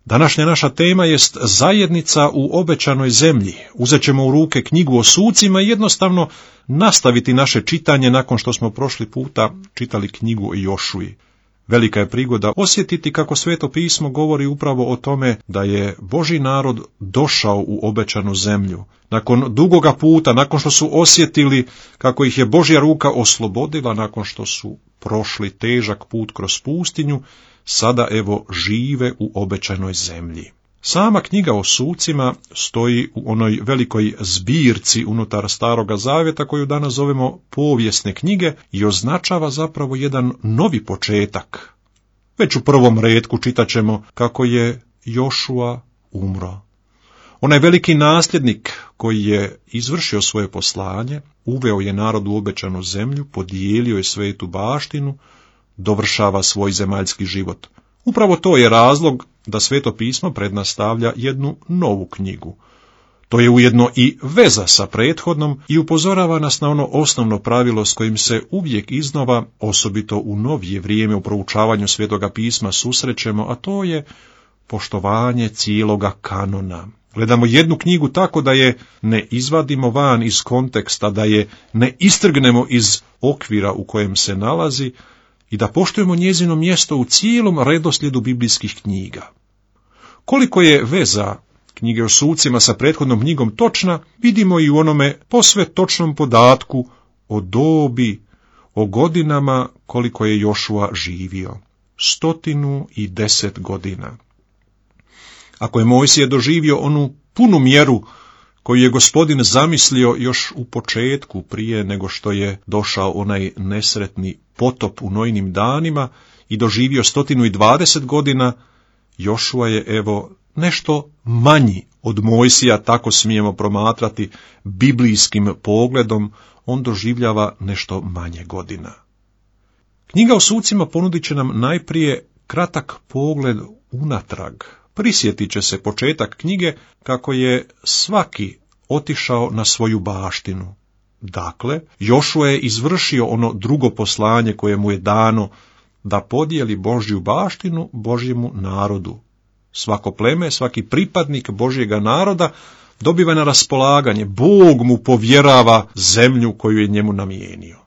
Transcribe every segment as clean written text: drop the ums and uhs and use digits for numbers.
Današnja naša tema jest zajednica u obećanoj zemlji. Uzet ćemo u ruke knjigu o sucima i jednostavno nastaviti naše čitanje nakon što smo prošli puta čitali knjigu o Jošuji. Velika je prigoda osjetiti kako Sveto pismo govori upravo o tome da je Božji narod došao u obećanu zemlju. Nakon dugoga puta, nakon što su osjetili kako ih je Božja ruka oslobodila, nakon što su prošli težak put kroz pustinju, sada evo žive u obećanoj zemlji. Sama knjiga o sucima stoji u onoj velikoj zbirci unutar Staroga Zavjeta koju danas zovemo povijesne knjige i označava zapravo jedan novi početak. Već u prvom retku čitat ćemo kako je Jošua umro. Onaj veliki nasljednik koji je izvršio svoje poslanje, uveo je narod u obećanu zemlju, podijelio je svetu baštinu, dovršava svoj zemaljski život. Upravo to je razlog da Sveto pismo pred nas stavlja jednu novu knjigu. To je ujedno i veza sa prethodnom i upozorava nas na ono osnovno pravilo s kojim se uvijek iznova, osobito u novije vrijeme u proučavanju Svetoga pisma susrećemo, a to je poštovanje cijeloga kanona. Gledamo jednu knjigu tako da je ne izvadimo van iz konteksta, da je ne istrgnemo iz okvira u kojem se nalazi i da poštujemo njezino mjesto u cijelom redoslijedu biblijskih knjiga. Koliko je veza knjige o sucima sa prethodnom knjigom točna, vidimo i u onome posve točnom podatku o dobi, o godinama koliko je Jošua živio. 110 godina. Ako je Mojsije doživio onu punu mjeru koju je Gospodin zamislio još u početku, prije nego što je došao onaj nesretni potop u Nojinim danima i doživio 120 godina, Jošua je evo nešto manji od Mojsija, tako smijemo promatrati biblijskim pogledom, on doživljava nešto manje godina. Knjiga o sucima ponudit će nam najprije kratak pogled unatrag. Prisjetit će se početak knjige kako je svaki otišao na svoju baštinu. Dakle, Jošua je izvršio ono drugo poslanje koje mu je dano, da podijeli Božju baštinu Božjemu narodu. Svako pleme, svaki pripadnik Božjega naroda dobiva na raspolaganje, Bog mu povjerava zemlju koju je njemu namijenio.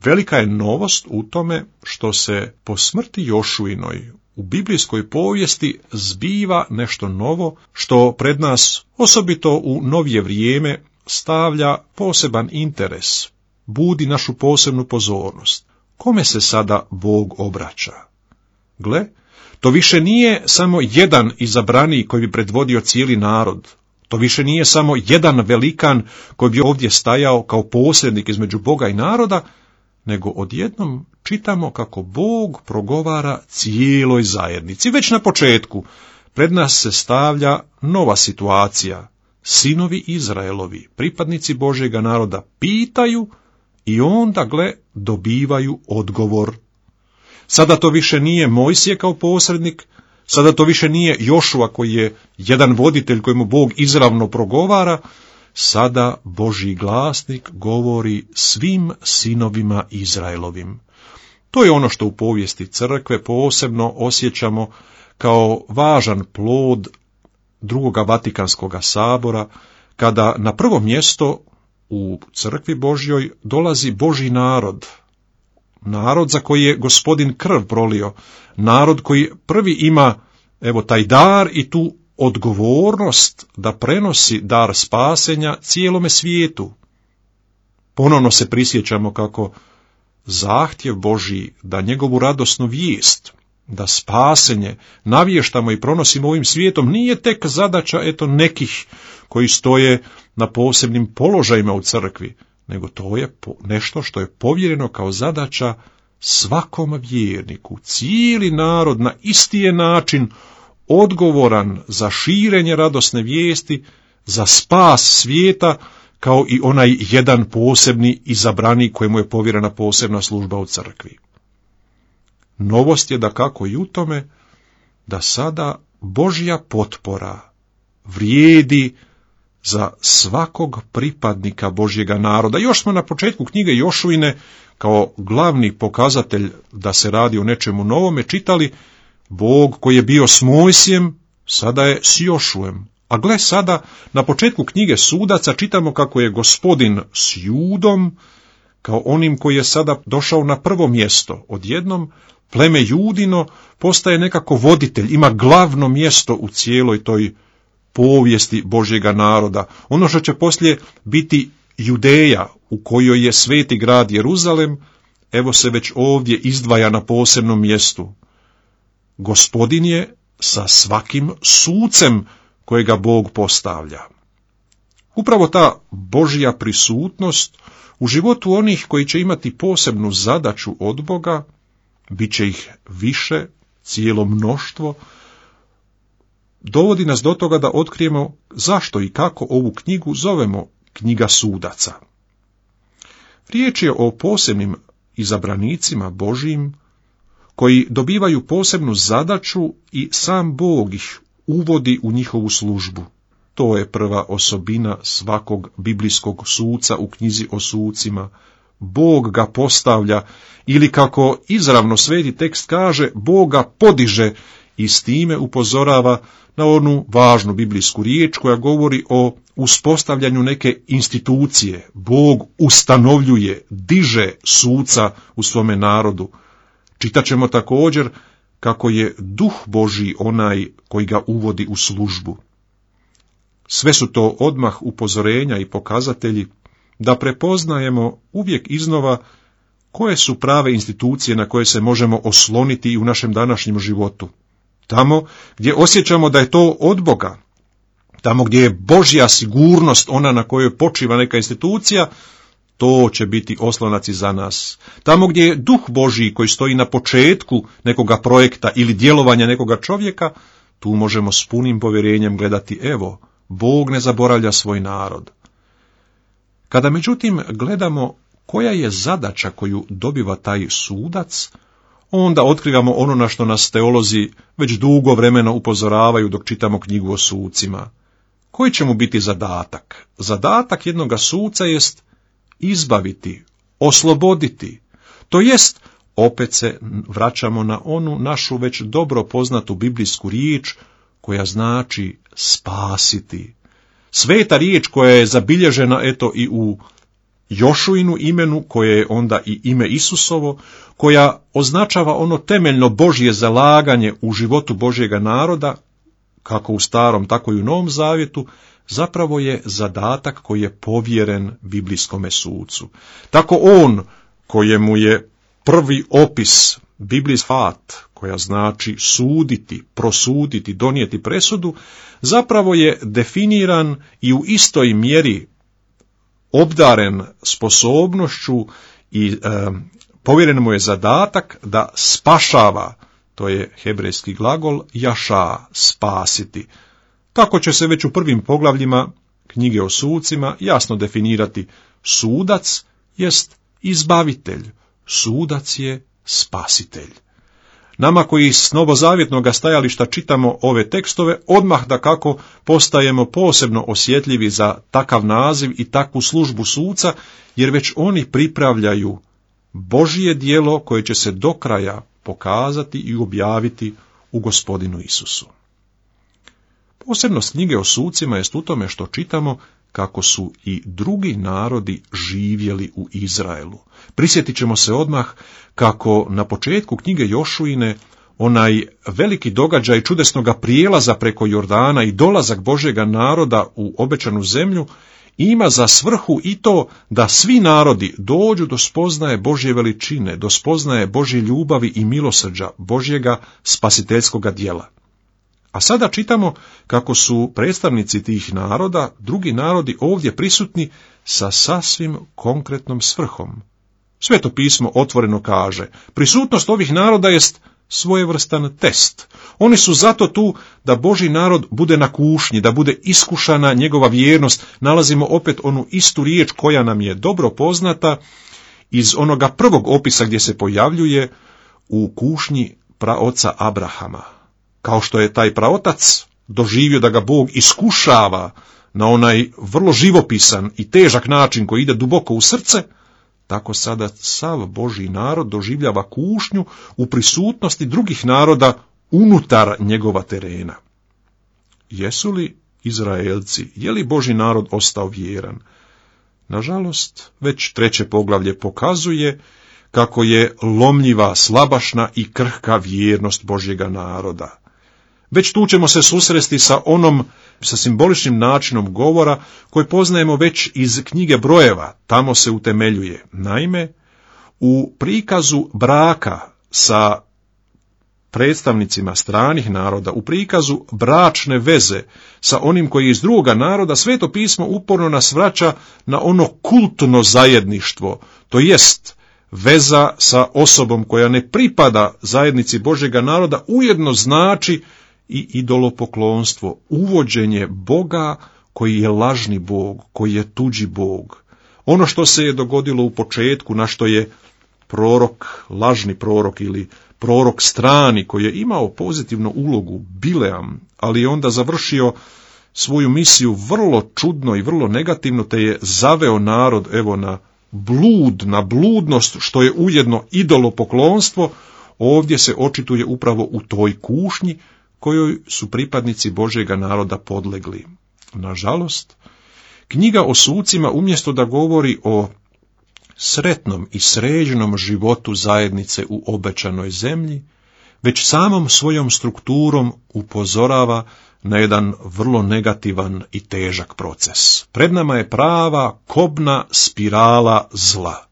Velika je novost u tome što se po smrti Jošuinoj u biblijskoj povijesti zbiva nešto novo, što pred nas, osobito u novije vrijeme, stavlja poseban interes, budi našu posebnu pozornost. Kome se sada Bog obraća? Gle, to više nije samo jedan izabraniji koji bi predvodio cijeli narod. To više nije samo jedan velikan koji bi ovdje stajao kao posrednik između Boga i naroda, nego odjednom čitamo kako Bog progovara cijeloj zajednici. Već na početku pred nas se stavlja nova situacija. Sinovi Izraelovi, pripadnici Božjega naroda, pitaju i onda, gle, dobivaju odgovor. Sada to više nije Mojsije kao posrednik, sada to više nije Jošua koji je jedan voditelj kojemu Bog izravno progovara, sada Božji glasnik govori svim sinovima Izraelovim. To je ono što u povijesti crkve posebno osjećamo kao važan plod drugoga Vatikanskoga sabora, kada na prvo mjesto u crkvi Božjoj dolazi Božji narod, narod za koji je Gospodin krv prolio, narod koji prvi ima evo taj dar i tu odgovornost da prenosi dar spasenja cijelome svijetu. Ponovno se prisjećamo kako zahtjev Božji da njegovu radosnu vijest, da spasenje navještamo i pronosimo ovim svijetom, nije tek zadaća nekih koji stoje na posebnim položajima u crkvi, nego to je nešto što je povjereno kao zadaća svakom vjerniku. Cijeli narod na isti je način odgovoran za širenje radosne vijesti, za spas svijeta, kao i onaj jedan posebni izabrani kojemu je povjerena posebna služba u crkvi. Novost je dakako i u tome da sada Božja potpora vrijedi za svakog pripadnika Božjega naroda. Još smo na početku knjige Jošuine kao glavni pokazatelj da se radi o nečemu novome čitali Bog koji je bio s Mojsijem sada je s Jošuem. A gle sada, na početku knjige Sudaca čitamo kako je Gospodin s Judom, kao onim koji je sada došao na prvo mjesto. Odjednom pleme Judino postaje nekako voditelj, ima glavno mjesto u cijeloj toj povijesti Božjega naroda. Ono što će poslije biti Judeja, u kojoj je sveti grad Jeruzalem, evo se već ovdje izdvaja na posebnom mjestu. Gospodin je sa svakim sucem kojega Bog postavlja. Upravo ta Božja prisutnost u životu onih koji će imati posebnu zadaću od Boga, bit će ih više, cijelo mnoštvo, dovodi nas do toga da otkrijemo zašto i kako ovu knjigu zovemo knjiga Sudaca. Riječ je o posebnim izabranicima Božjim, koji dobivaju posebnu zadaću i sam Bog ih uvodi u njihovu službu. To je prva osobina svakog biblijskog suca u knjizi o sucima. Bog ga postavlja, ili kako izravno sveti tekst kaže, Bog ga podiže i s time upozorava na onu važnu biblijsku riječ koja govori o uspostavljanju neke institucije. Bog ustanovljuje, diže suca u svome narodu. Čitaćemo također kako je Duh Božji onaj koji ga uvodi u službu. Sve su to odmah upozorenja i pokazatelji da prepoznajemo uvijek iznova koje su prave institucije na koje se možemo osloniti i u našem današnjem životu. Tamo gdje osjećamo da je to od Boga, tamo gdje je Božja sigurnost ona na kojoj počiva neka institucija, to će biti oslonac i za nas. Tamo gdje je Duh Božji koji stoji na početku nekoga projekta ili djelovanja nekoga čovjeka, tu možemo s punim povjerenjem gledati, evo, Bog ne zaboravlja svoj narod. Kada međutim gledamo koja je zadaća koju dobiva taj sudac, onda otkrivamo ono na što nas teolozi već dugo vremena upozoravaju dok čitamo knjigu o sucima. Koji će mu biti zadatak? Zadatak jednoga suca jest izbaviti, osloboditi, to jest, opet se vraćamo na onu našu već dobro poznatu biblijsku riječ koja znači spasiti. Sveta riječ koja je zabilježena eto i u Jošuinu imenu, koje je onda i ime Isusovo, koja označava ono temeljno Božje zalaganje u životu Božjega naroda, kako u Starom, tako i u Novom Zavjetu, zapravo je zadatak koji je povjeren biblijskome sucu. Tako on, kojemu je prvi opis biblijski fat, koja znači suditi, prosuditi, donijeti presudu, zapravo je definiran i u istoj mjeri obdaren sposobnošću i povjeren mu je zadatak da spašava, to je hebrejski glagol jaša, spasiti. Tako će se već u prvim poglavljima knjige o sucima jasno definirati. Sudac jest izbavitelj, sudac je spasitelj. Nama koji s novozavjetnog stajališta čitamo ove tekstove, odmah da kako postajemo posebno osjetljivi za takav naziv i takvu službu suca, jer već oni pripravljaju Božje djelo koje će se do kraja pokazati i objaviti u Gospodinu Isusu. Posebnost knjige o sucima jest u tome što čitamo kako su i drugi narodi živjeli u Izraelu. Prisjetit ćemo se odmah kako na početku knjige Jošuine onaj veliki događaj čudesnoga prijelaza preko Jordana i dolazak Božjega naroda u obećanu zemlju ima za svrhu i to da svi narodi dođu do spoznaje Božje veličine, do spoznaje Božje ljubavi i milosrđa, Božjega spasiteljskoga djela. A sada čitamo kako su predstavnici tih naroda, drugi narodi ovdje prisutni sa sasvim konkretnom svrhom. Sveto pismo otvoreno kaže, prisutnost ovih naroda jest svojevrstan test. Oni su zato tu da Božji narod bude na kušnji, da bude iskušana njegova vjernost. Nalazimo opet onu istu riječ koja nam je dobro poznata iz onoga prvog opisa gdje se pojavljuje u kušnji praoca Abrahama. Kao što je taj praotac doživio da ga Bog iskušava na onaj vrlo živopisan i težak način koji ide duboko u srce, tako sada sav Božji narod doživljava kušnju u prisutnosti drugih naroda unutar njegova terena. jesu li Izraelci, je li Božji narod ostao vjeran? Nažalost, već 3. poglavlje pokazuje kako je lomljiva, slabašna i krhka vjernost Božjega naroda. Već tu ćemo se susresti sa simboličnim načinom govora koji poznajemo već iz knjige Brojeva, tamo se utemeljuje. Naime, u prikazu braka sa predstavnicima stranih naroda, u prikazu bračne veze sa onim koji je iz drugoga naroda, Sveto pismo uporno nas vraća na ono kultno zajedništvo, to jest veza sa osobom koja ne pripada zajednici Božjega naroda, ujedno znači i idolopoklonstvo, uvođenje Boga koji je lažni Bog, koji je tuđi Bog. Ono što se je dogodilo u početku, na što je prorok, lažni prorok ili prorok strani koji je imao pozitivnu ulogu, Bileam, ali je onda završio svoju misiju vrlo čudno i vrlo negativno, te je zaveo narod na bludnost, što je ujedno idolopoklonstvo. Ovdje se očituje upravo u toj kušnji kojoj su pripadnici Božjega naroda podlegli. Nažalost, knjiga o sucima umjesto da govori o sretnom i sređenom životu zajednice u obećanoj zemlji, već samom svojom strukturom upozorava na jedan vrlo negativan i težak proces. Pred nama je prava kobna spirala zla.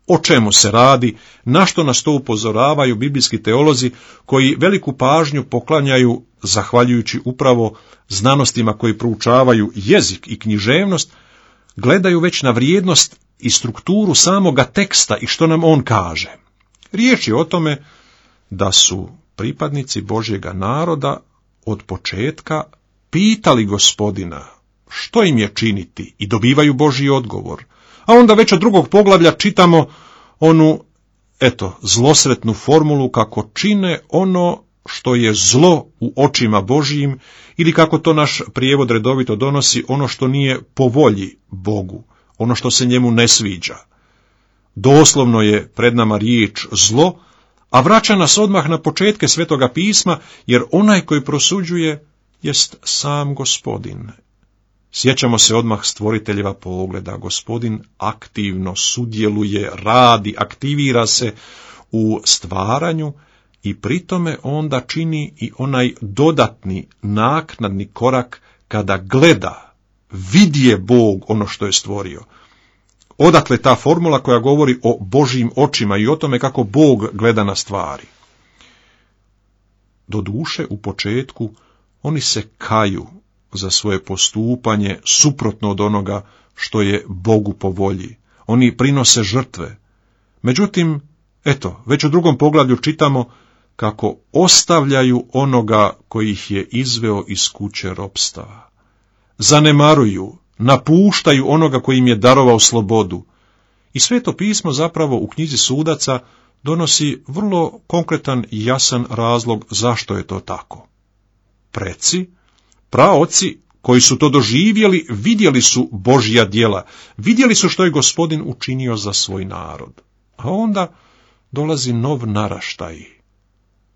O čemu se radi, na što nas to upozoravaju biblijski teolozi koji veliku pažnju poklanjaju, zahvaljujući upravo znanostima koji proučavaju jezik i književnost, gledaju već na vrijednost i strukturu samoga teksta i što nam on kaže. Riječ je o tome da su pripadnici Božjega naroda od početka pitali Gospodina što im je činiti i dobivaju Božji odgovor. A onda već od 2. poglavlja čitamo onu, zlosretnu formulu kako čine ono što je zlo u očima Božjim, ili kako to naš prijevod redovito donosi, ono što nije po volji Bogu, ono što se njemu ne sviđa. Doslovno je pred nama riječ zlo, a vraća nas odmah na početke Svetoga pisma, jer onaj koji prosuđuje jest sam Gospodin. Sjećamo se odmah stvoriteljeva pogleda. Gospodin aktivno sudjeluje, radi, aktivira se u stvaranju i pritome onda čini i onaj dodatni, naknadni korak kada gleda, vidje Bog ono što je stvorio. Odatle ta formula koja govori o Božjim očima i o tome kako Bog gleda na stvari. Doduše, u početku oni se kaju za svoje postupanje suprotno od onoga što je Bogu po volji. Oni prinose žrtve. Međutim, već u 2. poglavlju čitamo kako ostavljaju onoga koji ih je izveo iz kuće ropstava. Zanemaruju, napuštaju onoga koji im je darovao slobodu. I Sveto pismo zapravo u knjizi Sudaca donosi vrlo konkretan i jasan razlog zašto je to tako. Preci, praoci koji su to doživjeli, vidjeli su Božja djela, vidjeli su što je Gospodin učinio za svoj narod. A onda dolazi nov naraštaj.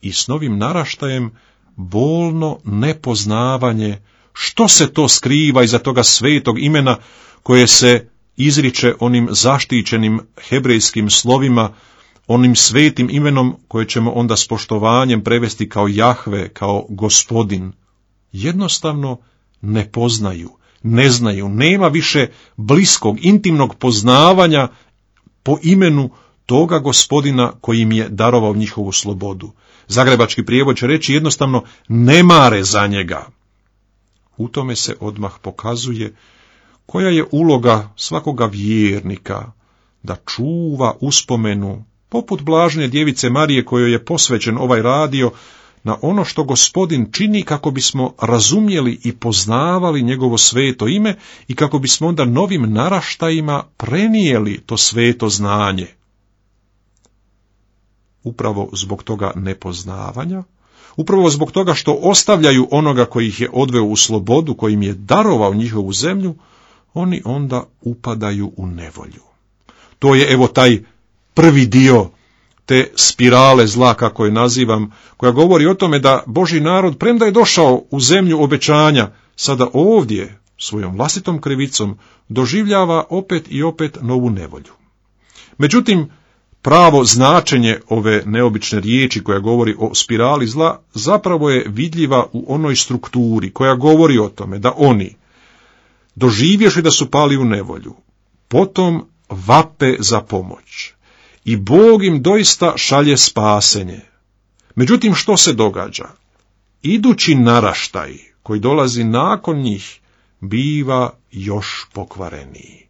I s novim naraštajem bolno nepoznavanje što se to skriva iza toga svetog imena koje se izriče onim zaštićenim hebrejskim slovima, onim svetim imenom koje ćemo onda s poštovanjem prevesti kao Jahve, kao Gospodin. Jednostavno ne poznaju, ne znaju, nema više bliskog, intimnog poznavanja po imenu toga Gospodina koji im je darovao njihovu slobodu. Zagrebački prijevod će reći jednostavno ne mare za njega. U tome se odmah pokazuje koja je uloga svakoga vjernika da čuva uspomenu, poput blažene djevice Marije kojoj je posvećen ovaj radio, na ono što Gospodin čini kako bismo razumjeli i poznavali njegovo sveto ime i kako bismo onda novim naraštajima prenijeli to sveto znanje. Upravo zbog toga nepoznavanja, upravo zbog toga što ostavljaju onoga koji ih je odveo u slobodu, koji im je darovao njihovu zemlju, oni onda upadaju u nevolju. To je taj prvi dio te spirale zla, kako je nazivam, koja govori o tome da Božji narod, premda je došao u zemlju obećanja, sada ovdje, svojom vlastitom krivicom, doživljava opet i opet novu nevolju. Međutim, pravo značenje ove neobične riječi koja govori o spirali zla zapravo je vidljiva u onoj strukturi koja govori o tome da oni, doživjevši da su pali u nevolju, potom vape za pomoć i Bog im doista šalje spasenje. Međutim, što se događa? Idući naraštaj koji dolazi nakon njih biva još pokvareniji.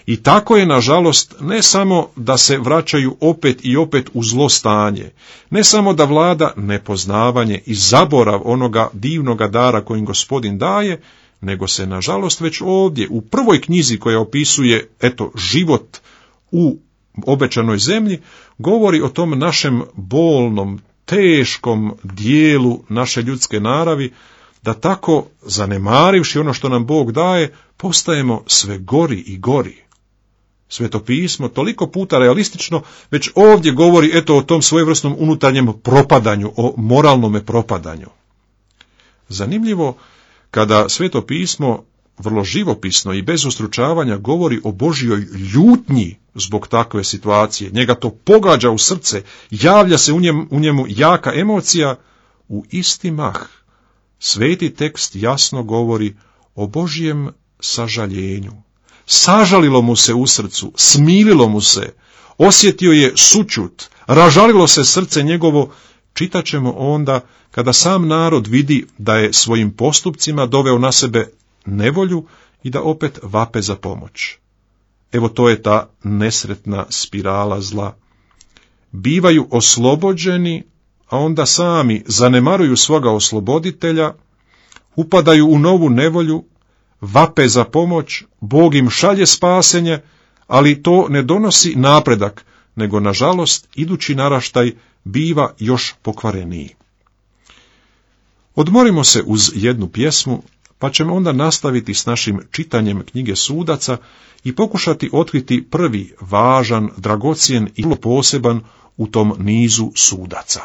I tako je, nažalost, ne samo da se vraćaju opet i opet u zlo stanje, ne samo da vlada nepoznavanje i zaborav onoga divnoga dara kojim Gospodin daje, nego se, nažalost, već ovdje, u prvoj knjizi koja opisuje, život u obećanoj zemlji, govori o tom našem bolnom, teškom dijelu naše ljudske naravi, da tako, zanemarivši ono što nam Bog daje, postajemo sve gori i gori. Sveto pismo toliko puta realistično već ovdje govori o tom svojevrsnom unutarnjem propadanju, o moralnome propadanju. Zanimljivo, kada Sveto pismo vrlo živopisno i bez ustručavanja govori o Božjoj ljutnji zbog takve situacije, njega to pogađa u srce, javlja se u njemu jaka emocija, u isti mah sveti tekst jasno govori o Božjem sažaljenju. Sažalilo mu se u srcu, smililo mu se, osjetio je sućut, ražalilo se srce njegovo. Čitat ćemo onda kada sam narod vidi da je svojim postupcima doveo na sebe nevolju i da opet vape za pomoć. To je ta nesretna spirala zla. Bivaju oslobođeni, a onda sami zanemaruju svoga osloboditelja, upadaju u novu nevolju, vape za pomoć, Bog im šalje spasenje, ali to ne donosi napredak, nego, nažalost, idući naraštaj biva još pokvareniji. Odmorimo se uz jednu pjesmu, pa ćemo onda nastaviti s našim čitanjem knjige Sudaca i pokušati otkriti prvi važan, dragocjen i poseban u tom nizu sudaca.